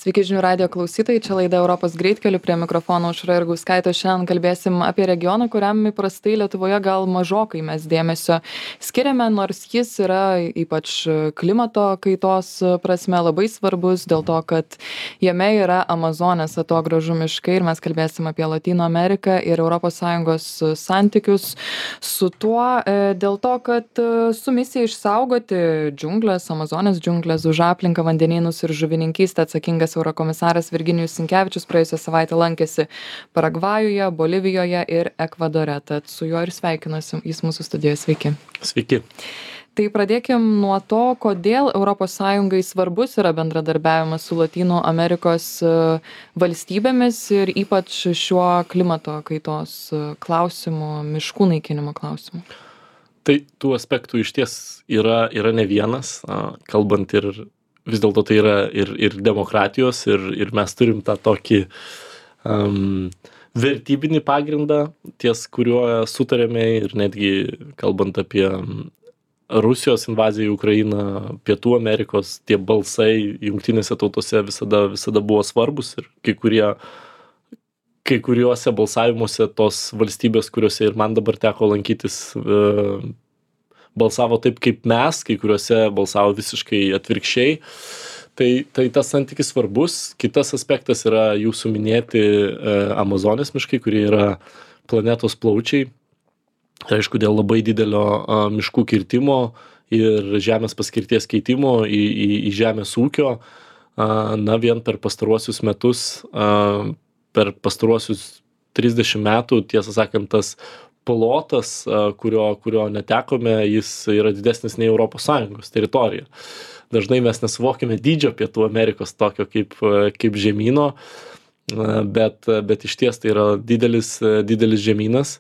Sveiki žinių radijo klausytojai, čia laida Europos greitkeliu, prie mikrofono Aušra Jurgauskaitė. Šiandien kalbėsim apie regioną, kuriam įprastai Lietuvoje gal mažokai mes dėmesio skiriame, nors jis yra ypač klimato kaitos prasme labai svarbus, dėl to, kad jame yra Amazonės atogražų miškai ir mes kalbėsim apie Lotynų Ameriką ir ES santykius su tuo, dėl to, kad su misija išsaugoti džiunglės, Amazonės džiunglės, už aplinką, vandenynus ir žuvininkystę atsakingas eurokomisaras Virginijus Sinkevičius praėjusią savaitę lankėsi Paragvajuje, Bolivijoje ir Ekvadore. Tad su juo ir sveikinuosi, jis mūsų studijoje. Sveiki. Sveiki. Tai pradėkim nuo to, kodėl ES svarbus yra bendradarbiavimas su Lotynų Amerikos valstybėmis ir ypač šiuo klimato kaitos klausimu, miškų naikinimo klausimu. Tai tų aspektų iš ties yra ne vienas, kalbant ir vis dėlto tai yra ir demokratijos, ir mes turim tą tokį vertybinį pagrindą, ties kuriuo sutarėme, ir netgi kalbant apie Rusijos invaziją į Ukrainą, Pietų Amerikos, tie balsai jungtinėse tautose visada buvo svarbus, ir kai kuriuose balsavimuose tos valstybės, kuriuose ir man dabar teko lankytis, balsavo taip kaip mes, kai kuriuose balsavo visiškai atvirkščiai. Tai tas santykis svarbus. Kitas aspektas yra jūsų minėti Amazonės miškai, kurie yra planetos plaučiai. Aišku, dėl labai didelio miškų kirtimo ir žemės paskirties keitimo į žemės ūkio, vien per pastaruosius metus, per pastaruosius 30 metų, tiesą sakant, tas plotas, kurio netekome, jis yra didesnis nei ES teritorija. Dažnai mes nesuvokime dydžio Pietų Amerikos tokio kaip žemyno, bet iš ties tai yra didelis žemynas.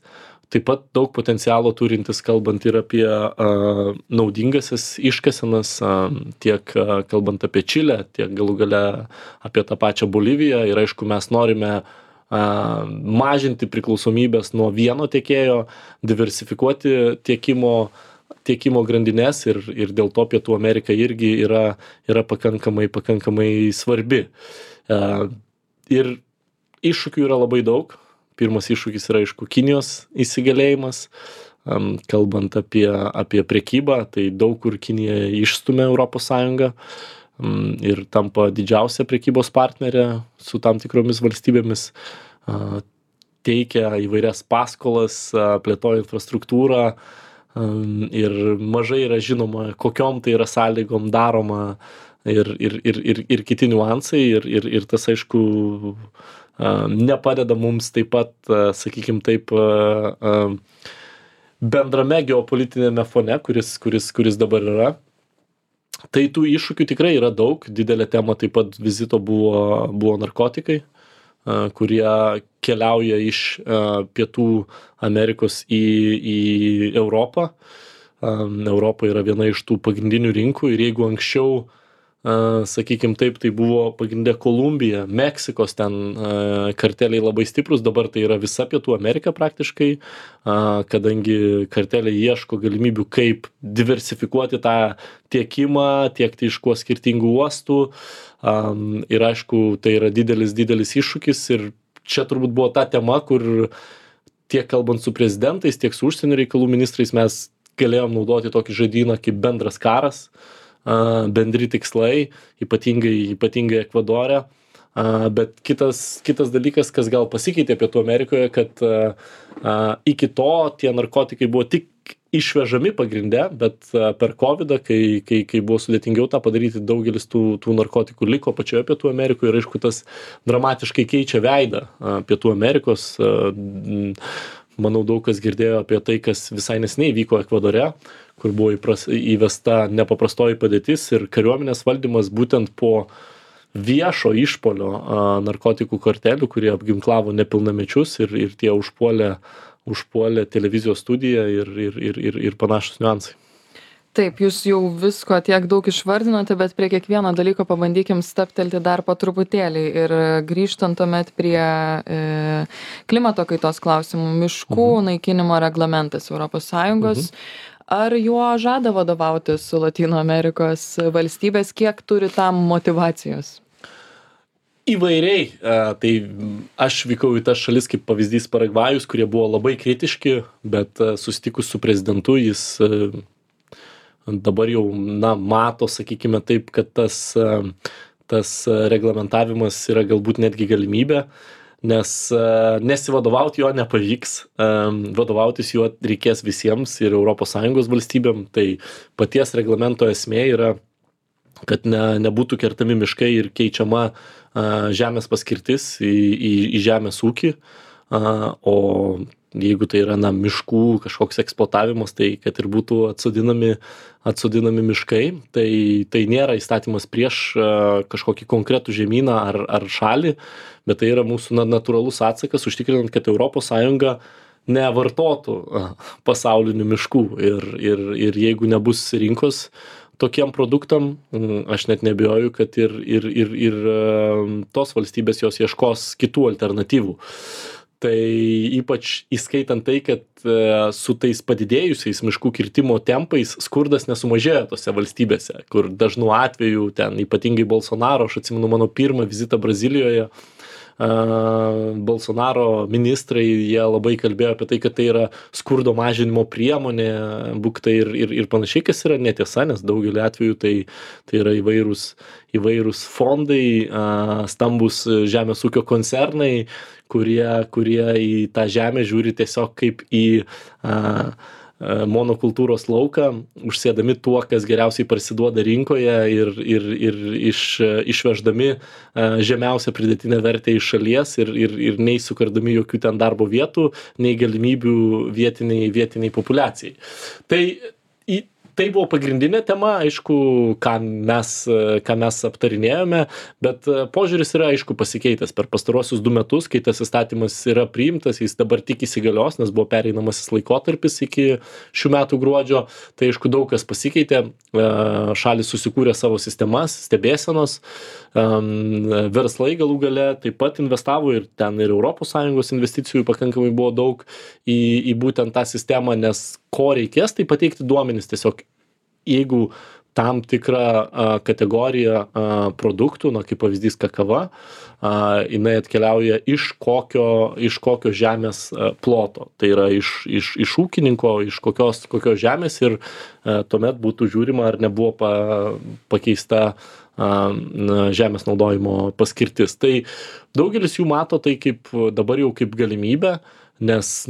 Taip pat daug potencialo turintis, kalbant ir apie naudingasias iškasenas, tiek kalbant apie Čilę, tiek galų gale apie tą pačią Boliviją. Ir aišku, mes norime mažinti priklausomybės nuo vieno tiekėjo, diversifikuoti tiekimo grandines, ir dėl to Pietų Amerika irgi yra pakankamai svarbi. Ir iššūkių yra labai daug. Pirmas iššūkis yra, aišku, Kinijos įsigalėjimas. Kalbant apie prekybą, tai daug kur Kinija išstumia ES ir tampa didžiausia prekybos partnerė su tam tikromis valstybėmis, teikia įvairias paskolas, plėtoja infrastruktūrą, ir mažai yra žinoma, kokiom tai yra sąlygom daroma, ir kiti niuansai, ir tas, aišku, nepadeda mums taip pat, sakykime taip, bendrame geopolitinėme fone, kuris dabar yra. Tai tų iššūkių tikrai yra daug. Didelė tema taip pat vizito buvo narkotikai, kurie keliauja iš Pietų Amerikos į Europą. Europa yra viena iš tų pagrindinių rinkų, ir jeigu anksčiau, sakykim taip, tai buvo pagrindė Kolumbija, Meksikos ten karteliai labai stiprus, dabar tai yra visa Pietų Amerika praktiškai, kadangi karteliai ieško galimybių, kaip diversifikuoti tą tiekimą, tiekti iš kuo skirtingų uostų, ir aišku, tai yra didelis iššūkis, ir čia turbūt buvo ta tema, kur tiek kalbant su prezidentais, tiek su užsienio reikalų ministrais mes galėjom naudoti tokį žodyną kaip bendras karas, bendri tikslai, ypatingai Ekvadore. Bet kitas dalykas, kas gal pasikeitė Pietų Amerikoje, kad iki to tie narkotikai buvo tik išvežami pagrinde, bet per COVID, kai buvo sudėtingiau tą padaryti, daugelis tų narkotikų liko pačioje Pietų Amerikoje, ir aišku, tas dramatiškai keičia veidą Pietų Amerikos. Manau, daug kas girdėjo apie tai, kas visai neseniai vyko Ekvadore, kur buvo įvesta nepaprastoji padėtis ir kariuomenės valdymas būtent po viešo išpolio narkotikų kartelių, kurie apginklavo nepilnamečius, ir tie užpuolė televizijos studiją ir panašus niuansai. Taip, jūs jau visko tiek daug išvardinote, bet prie kiekvieno dalyko pabandykim stabtelti dar po truputėlį. Ir grįžtant tuomet prie klimato kaitos klausimų, miškų naikinimo reglamentas ES. Ar juo žada vadovautis Lotynų Amerikos valstybės, kiek turi tam motyvacijos? Įvairiai. Tai aš vykau į tas šalis kaip pavyzdys Paragvajus, kurie buvo labai kritiški, bet susitikus su prezidentu jis dabar jau mato, sakykime taip, kad tas reglamentavimas yra galbūt netgi galimybė, nes nesivadovauti jo nepavyks, vadovautis juo reikės visiems ir ES valstybėm. Tai paties reglamento esmė yra, kad nebūtų kertami miškai ir keičiama žemės paskirtis į žemės ūkį, o jeigu tai yra miškų kažkoks eksploatavimas, tai kad ir būtų atsodinami miškai, tai nėra įstatymas prieš kažkokį konkretų žemyną ar šalį, bet tai yra mūsų natūralus atsakas, užtikrinant, kad ES nevartotų pasaulinių miškų ir jeigu nebus rinkos tokiem produktam, aš net neabejoju, kad ir tos valstybės jos ieškos kitų alternatyvų. Tai ypač įskaitant tai, kad su tais padidėjusiais miškų kirtimo tempais skurdas nesumažėjo tose valstybėse, kur dažnu atveju ten ypatingai Bolsonaro, aš atsimenu mano pirmą vizitą Brazilijoje, Bolsonaro ministrai, jie labai kalbėjo apie tai, kad tai yra skurdo mažinimo priemonė, buktai ir panašiai, kas yra netiesa, nes daugelį atvejų tai yra įvairūs fondai, stambus žemės ūkio koncernai, kurie į tą žemę žiūri tiesiog kaip į monokultūros lauką, užsėdami tuo, kas geriausiai parsiduoda rinkoje ir išveždami žemiausią pridėtinę vertę iš šalies ir nei sukurdami jokių ten darbo vietų, nei galimybių vietiniai populiacijai. Tai buvo pagrindinė tema, aišku, ką mes aptarinėjome, bet požiūris yra, aišku, pasikeitęs per pastaruosius 2 metus, kai tas įstatymas yra priimtas, jis dabar tik įsigalios, nes buvo pereinamasis laikotarpis iki šių metų gruodžio, tai aišku, daug kas pasikeitė, šalis susikūrė savo sistemas, stebėsenos, verslai galų gale taip pat investavo ir ten ir ES investicijų pakankamai buvo daug į būtent tą sistemą, nes ko reikės, tai pateikti duomenis tiesiog, jeigu tam tikrą kategoriją produktų, kaip pavyzdys kakava, jinai atkeliauja iš kokio žemės ploto. Tai yra iš ūkininko, iš kokios žemės ir tuomet būtų žiūrima, ar nebuvo pakeista žemės naudojimo paskirtis. Tai daugelis jų mato tai dabar jau kaip galimybę, nes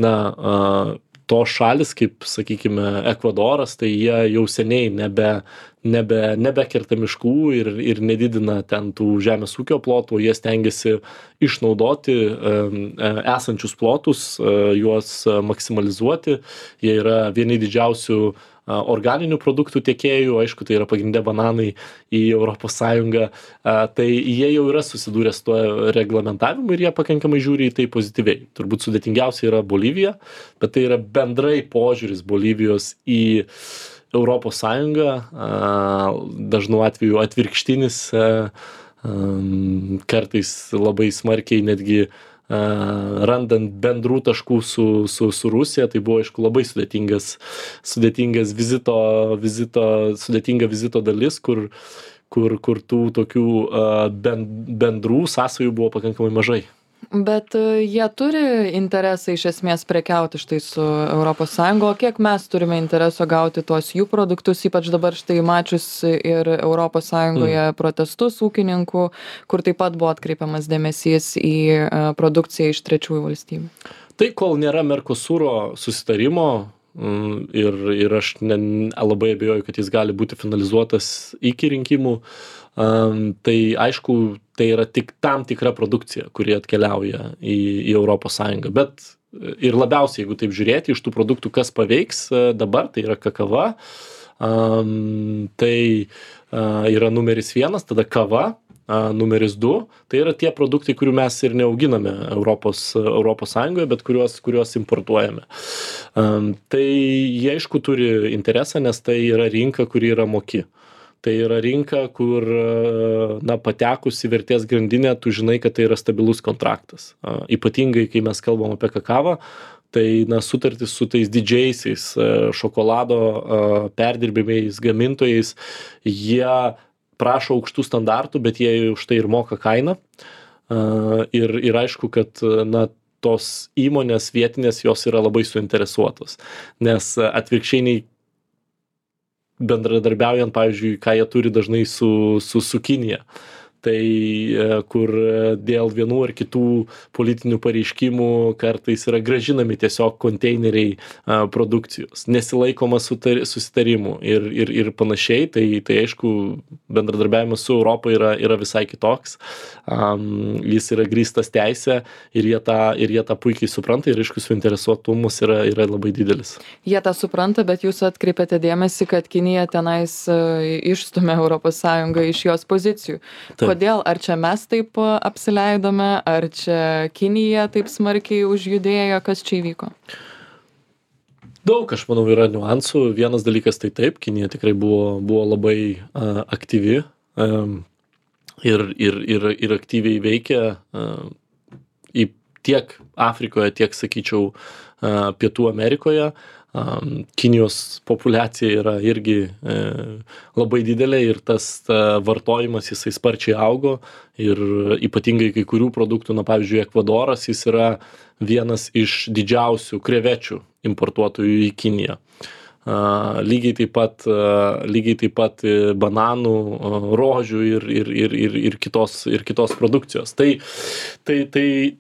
tos šalis, kaip, sakykime, Ekvadoras, tai jie jau seniai nebekerta miškų ir nedidina ten tų žemės ūkio plotų, jie stengiasi išnaudoti esančius plotus, juos maksimalizuoti. Jie yra vieni didžiausių organinių produktų tiekėjų, aišku, tai yra pagrindė bananai į ES, tai jie jau yra susidūrę su tuo reglamentavimu ir jie pakankamai žiūri į tai pozityviai. Turbūt sudėtingiausia yra Bolivija, bet tai yra bendrai požiūris Bolivijos į ES, dažnu atveju atvirkštinis, kartais labai smarkiai netgi randant bendrų taškų su Rusija, tai buvo, aišku, labai sudėtinga vizito dalis, kur tų tokių bendrų sąsajų buvo pakankamai mažai. Bet jie turi interesą iš esmės prekiauti štai su ES, o kiek mes turime intereso gauti tuos jų produktus, ypač dabar štai mačius ir ES protestus ūkininkų, kur taip pat buvo atkreipiamas dėmesys į produkciją iš trečiųjų valstybių. Tai kol nėra Mercosuro susitarimo ir aš labai abejoju, kad jis gali būti finalizuotas iki rinkimų, tai aišku, tai yra tik tam tikra produkcija, kuri atkeliauja į ES. Bet ir labiausiai, jeigu taip žiūrėti, iš tų produktų, kas paveiks dabar, tai yra kakava, tai yra numeris 1, tada kava, numeris 2, tai yra tie produktai, kurių mes ir neauginame ES, bet kuriuos importuojame. Tai jie, aišku, turi interesą, nes tai yra rinka, kuri yra moki. Tai yra rinka, kur patekus į vertės grandinę, tu žinai, kad tai yra stabilus kontraktas. Ypatingai, kai mes kalbam apie kakavą, tai sutartis su tais didžiaisiais šokolado perdirbimais, gamintojais, jie prašo aukštų standartų, bet jie už tai ir moka kainą. ir aišku, kad, na, tos įmonės vietinės jos yra labai suinteresuotos, nes atvirkščiai nei bendradarbiaujant, pavyzdžiui, ką jie turi dažnai su Kinija. Tai kur dėl vienų ar kitų politinių pareiškimų kartais yra grąžinami tiesiog konteineriai produkcijos, nesilaikoma susitarimų ir panašiai, tai aišku, bendradarbiavimas su Europa yra visai kitoks, jis yra grįstas teisė ir jie tą puikiai supranta ir aišku, suinteresuotumas yra labai didelis. Jie tą supranta, bet jūs atkreipėte dėmesį, kad Kinija tenais išstumia ES iš jos pozicijų. Kodėl? Ar čia mes taip apsileidome, ar čia Kinija taip smarkiai užjudėjo, kas čia įvyko? Daug, aš manau, yra niuansų. Vienas dalykas tai taip, Kinija tikrai buvo labai aktyvi ir aktyviai veikia tiek Afrikoje, tiek, sakyčiau, Pietų Amerikoje. Kinijos populiacija yra irgi labai didelė ir tas vartojimas jisai sparčiai augo ir ypatingai kai kurių produktų, na pavyzdžiui, Ekvadoras, jis yra vienas iš didžiausių krevečių importuotojų į Kiniją. Lygiai taip pat bananų, rožių ir kitos produkcijos. Tai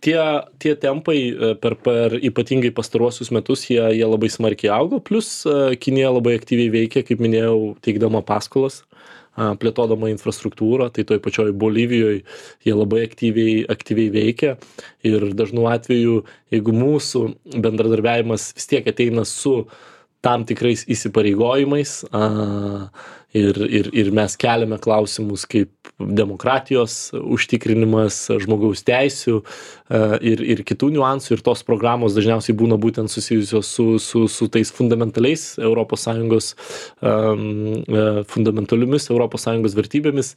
tie tempai per ypatingai pastaruosius metus jie labai smarkiai augo, plus Kinija labai aktyviai veikia, kaip minėjau, teikdama paskolas, plėtodama infrastruktūrą, tai toj pačioj Bolivijoje jie labai aktyviai veikia ir dažnu atveju, jeigu mūsų bendradarbiavimas vis tiek ateina su tam tikrais įsipareigojimais ir mes keliame klausimus kaip demokratijos užtikrinimas, žmogaus teisių ir kitų niuansų ir tos programos dažniausiai būna būtent susijusios su tais fundamentaliais ES, fundamentaliomis ES vertybėmis.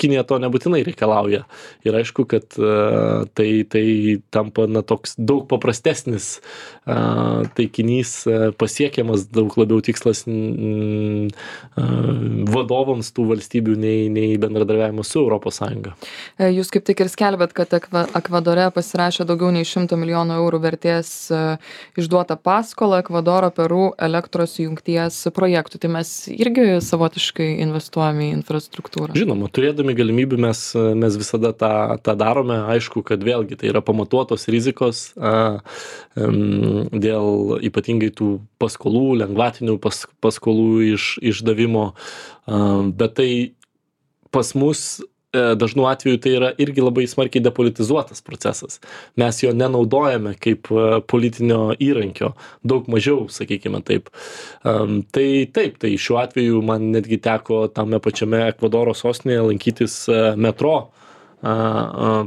Kinija to nebūtinai reikalauja. Ir aišku, kad tai tampa toks daug paprastesnis taikinys, pasiekiamas daug labiau tikslas vadovams tų valstybių nei bendradarbiavimas su ES. Jūs kaip tik ir skelbėt, kad Ekvadore pasirašė daugiau nei 100 milijonų eurų vertės išduotą paskolą Ekvadoro Peru elektros jungties projektų. Tai mes irgi savotiškai investuojame į infrastruktūrą. Žinoma, turėdami galimybių mes visada tą darome. Aišku, kad vėlgi tai yra pamatuotos rizikos dėl ypatingai tų paskolų, lengvatinių paskolų išdavimo, bet tai pas mus dažnu atveju tai yra irgi labai smarkiai depolitizuotas procesas. Mes jo nenaudojame kaip politinio įrankio, daug mažiau, sakykime taip. Tai taip, tai šiuo atveju man netgi teko tame pačiame Ekvadoro sostinėje lankytis metro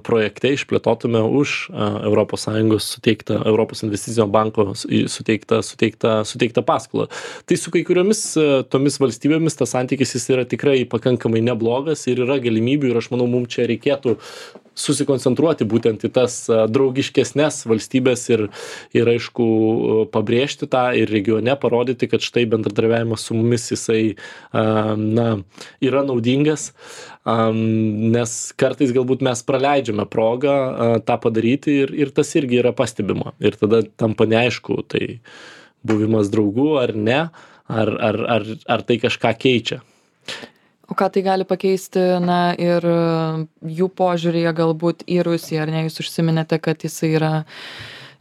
projekte išplėtotume už ES suteiktą, Europos investicinio banko suteiktą paskolą. Tai su kai kuriomis tomis valstybėmis tas santykis jis yra tikrai pakankamai neblogas ir yra galimybių ir aš manau, mums čia reikėtų susikoncentruoti būtent į tas draugiškesnes valstybės ir aišku pabrėžti tą ir regione parodyti, kad štai bendradarbiavimas su mumis jisai yra naudingas, nes kartais galbūt mes praleidžiame progą tą padaryti ir tas irgi yra pastebima. Ir tada tampa neaišku, tai buvimas draugų ar ne, ar tai kažką keičia. O ką tai gali pakeisti, na, ir jų požiūrėje galbūt į Rusiją, ar ne? Jūs užsiminėte, kad jisai yra,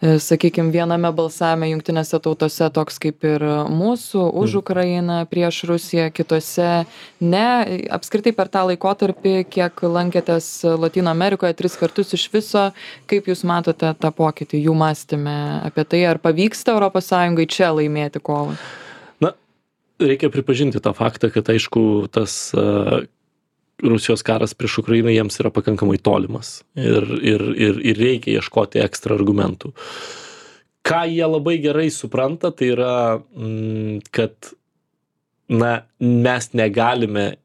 sakykime, viename balsavime jungtinėse tautose toks kaip ir mūsų, už Ukrainą, prieš Rusiją, kitose ne. Apskritai per tą laikotarpį, kiek lankėtės Lotynų Amerikoje 3 kartus iš viso, kaip jūs matote tą pokytį jų mąstyme apie tai, ar pavyksta ES čia laimėti kovą? Reikia pripažinti tą faktą, kad aišku, tas Rusijos karas prieš Ukrainą jiems yra pakankamai tolimas ir reikia ieškoti ekstra argumentų. Ką jie labai gerai supranta, tai yra, kad mes negalime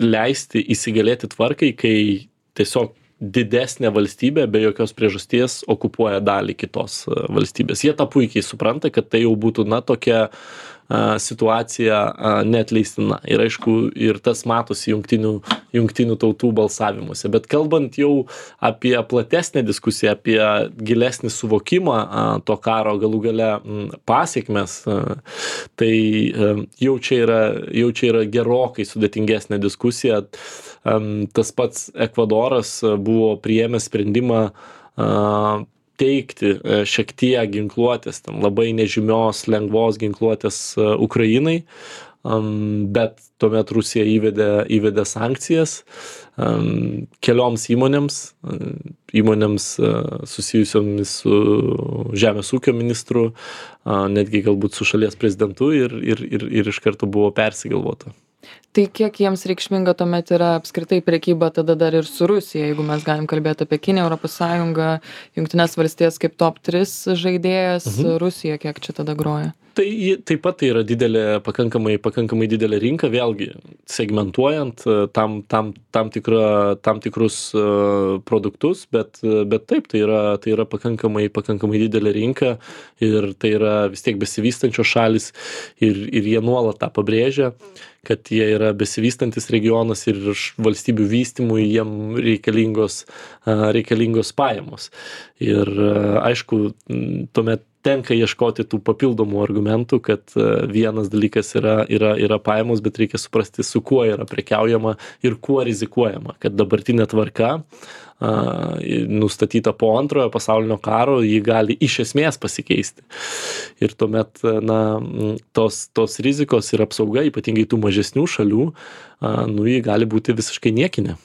leisti įsigalėti tvarkai, kai tiesiog didesnė valstybė be jokios priežasties okupuoja dalį kitos valstybės. Jie tą puikiai supranta, kad tai jau būtų tokia situacija neatleistina. Ir aišku, ir tas matosi jungtinių tautų balsavimuose. Bet kalbant jau apie platesnę diskusiją, apie gilesnį suvokimą to karo galų gale pasiekmes, tai jau čia yra gerokai sudėtingesnė diskusija. Tas pats Ekvadoras buvo priėmęs sprendimą teikti šiek tiek ginkluotės, labai nežymios, lengvos ginkluotės Ukrainai, bet tuomet Rusija įvedė sankcijas kelioms įmonėms susijusiomis su žemės ūkio ministru, netgi galbūt su šalies prezidentu ir iš karto buvo persigalvota. Tai kiek jiems reikšminga tuomet yra apskritai prekyba tada dar ir su Rusija, jeigu mes galim kalbėti apie Kiniją, Europos Sąjungą, Jungtines valstijas kaip top 3 žaidėjas, Rusija kiek čia tada groja? Tai taip pat tai yra pakankamai didelė rinka, vėlgi segmentuojant tam tikrus produktus, bet taip, tai yra pakankamai didelė rinka ir tai yra vis tiek besivystančios šalis ir jie nuolat tą pabrėžia, kad jie yra besivystantis regionas ir iš valstybių vystymui jiem reikalingos pajamos. Ir aišku, tuomet tenka ieškoti tų papildomų argumentų, kad vienas dalykas yra pajamos, bet reikia suprasti, su kuo yra prekiaujama ir kuo rizikuojama, kad dabartinė tvarka nustatyta po antrojo pasaulinio karo, ji gali iš esmės pasikeisti. Ir tuomet tos rizikos ir apsauga, ypatingai tų mažesnių šalių, ji gali būti visiškai niekinė.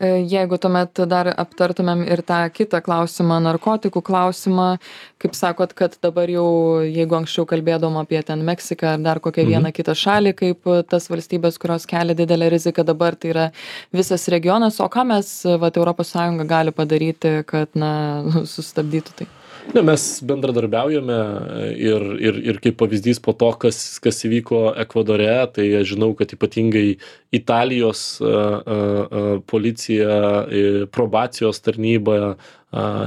Jeigu tuomet dar aptartumėm ir tą kitą klausimą, narkotikų klausimą, kaip sakot, kad dabar jau, jeigu anksčiau kalbėdom apie ten Meksiką ar dar kokią vieną kitą šalį, kaip tas valstybės, kurios kelia didelę riziką, dabar tai yra visas regionas, o ką mes, Europos Sąjunga gali padaryti, kad, sustabdytų tai? Mes bendradarbiaujame ir kaip pavyzdys po to, kas įvyko Ekvadore, tai aš žinau, kad ypatingai Italijos policija, probacijos tarnyba,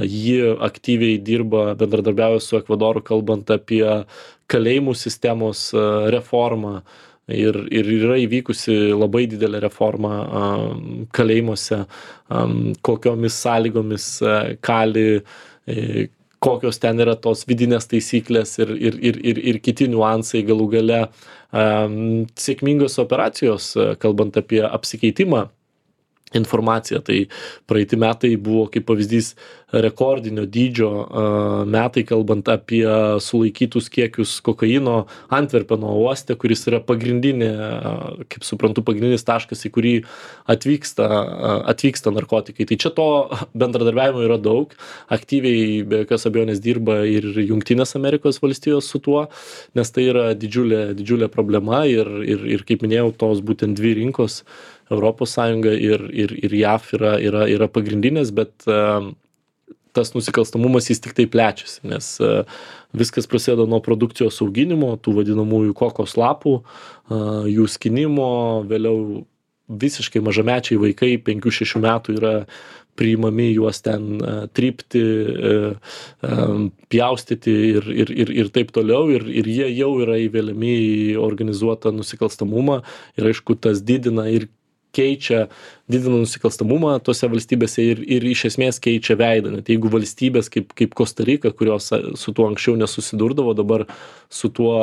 ji aktyviai dirba, bendradarbiauja su Ekvadoru, kalbant apie kalėjimų sistemos reformą. Ir yra įvykusi labai didelė reforma kalėjimuose, kokiomis sąlygomis kali, kokios ten yra tos vidinės taisyklės ir kiti niuansai galų gale. Sėkmingos operacijos, kalbant apie apsikeitimą informaciją, tai praeiti metai buvo kaip pavyzdys rekordinio dydžio metai, kalbant apie sulaikytus kiekius kokaino Antverpeno uoste, kuris yra pagrindinė, kaip suprantu, pagrindinis taškas, į kurį atvyksta narkotikai. Tai čia to bendradarbiavimo yra daug, aktyviai be jokios abejonės dirba ir Jungtinės Amerikos valstijos su tuo, nes tai yra didžiulė problema ir kaip minėjau, tos būtent dvi rinkos, Europos Sąjunga ir JAV yra pagrindinės, bet tas nusikalstamumas jis tik tai plečiasi, nes viskas prasideda nuo produkcijos auginimo, tų vadinamųjų kokos lapų, jų skinimo, vėliau visiškai mažamečiai vaikai 5-6 metų yra priimami, juos ten trypti, pjaustyti ir taip toliau, ir jie jau yra įveliami į organizuotą nusikalstamumą ir aišku, tas didina nusikalstamumą tose valstybėse ir iš esmės keičia veidą. Net jeigu valstybės kaip Kosta Rika, kurios su tuo anksčiau nesusidurdavo, dabar su tuo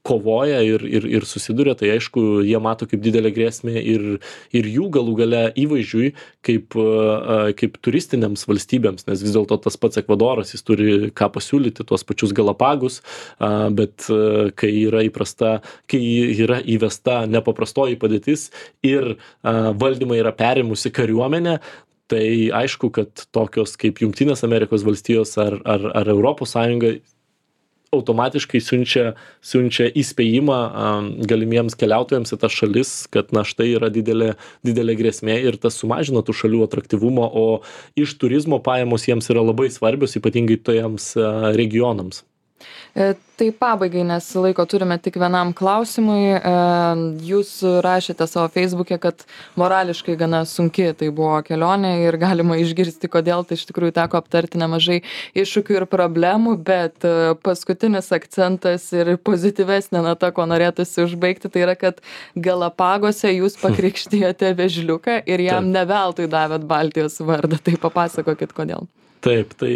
kovoja ir susiduria, tai aišku, jie mato kaip didelę grėsmę ir jų galų gale įvaizdžiui kaip turistiniams valstybėms, nes vis dėlto tas pats Ekvadoras, jis turi ką pasiūlyti, tuos pačius Galapagus, bet kai yra įvesta nepaprastoji padėtis ir valdymą yra perėmusi kariuomenė, tai aišku, kad tokios kaip Jungtinės Amerikos valstijos ar Europos Sąjunga automatiškai siunčia įspėjimą galimiems keliautojams į tas šalis, kad štai yra didelė grėsmė ir tas sumažina tų šalių atraktyvumą, o iš turizmo pajamos jiems yra labai svarbios, ypatingai tojams regionams. Tai pabaigai, nes laiko turime tik vienam klausimui. Jūs rašėte savo Facebook'e, kad morališkai gana sunki tai buvo kelionė ir galima išgirsti, kodėl. Tai iš tikrųjų teko aptarti nemažai iššūkių ir problemų, bet paskutinis akcentas ir pozityvesnė nata, ko norėtųsi užbaigti, tai yra, kad Galapagose jūs pakrikštijote vėžliuką ir jam ne veltui davėt Baltijos vardą. Tai papasakokit, kodėl. Taip, tai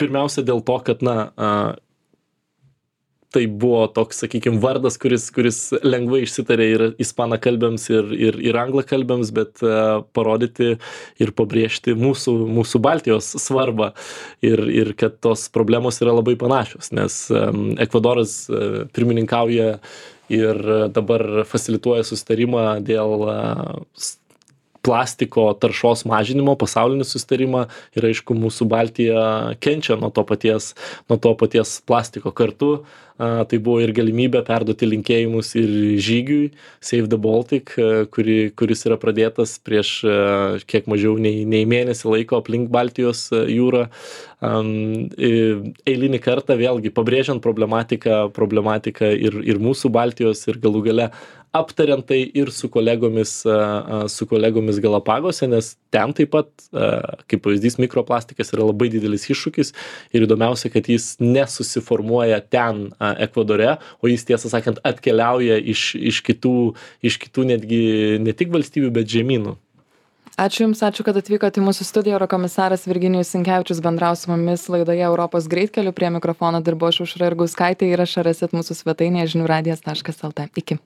pirmiausia dėl to, kad, tai buvo toks, sakykime, vardas, kuris lengvai išsitarė ir ispanakalbėms, ir anglakalbėms, bet parodyti ir pabrėžti mūsų Baltijos svarbą ir kad tos problemos yra labai panašios, nes Ekvadoras pirmininkauja ir dabar fasilituoja susitarimą dėl plastiko taršos mažinimo, pasaulinį susitarimą ir aišku, mūsų Baltija kenčia nuo to paties plastiko kartu. Tai buvo ir galimybė perduoti linkėjimus ir žygiui Save the Baltic, kuris yra pradėtas prieš kiek mažiau nei mėnesį laiko aplink Baltijos jūrą. Eilinį kartą vėlgi pabrėžiant problematiką ir mūsų Baltijos ir galų gale aptariant tai ir su kolegomis Galapagose, nes ten taip pat, kaip pavyzdys, mikroplastikas yra labai didelis iššūkis ir įdomiausia, kad jis nesusiformuoja ten Ekvadore, o jis tiesą sakant atkeliauja iš kitų netgi ne tik valstybių, bet žemynų. Ačiū Jums, ačiū, kad atvykote į mūsų studiją. Eurokomisaras Virginijus Sinkevičius bendravo su mumis laidoje Europos greitkeliu. Prie mikrofono dirbo aš Aušra Jurgauskaitė. Įrašą rasit mūsų svetainėje žiniųradijas.lt. Iki.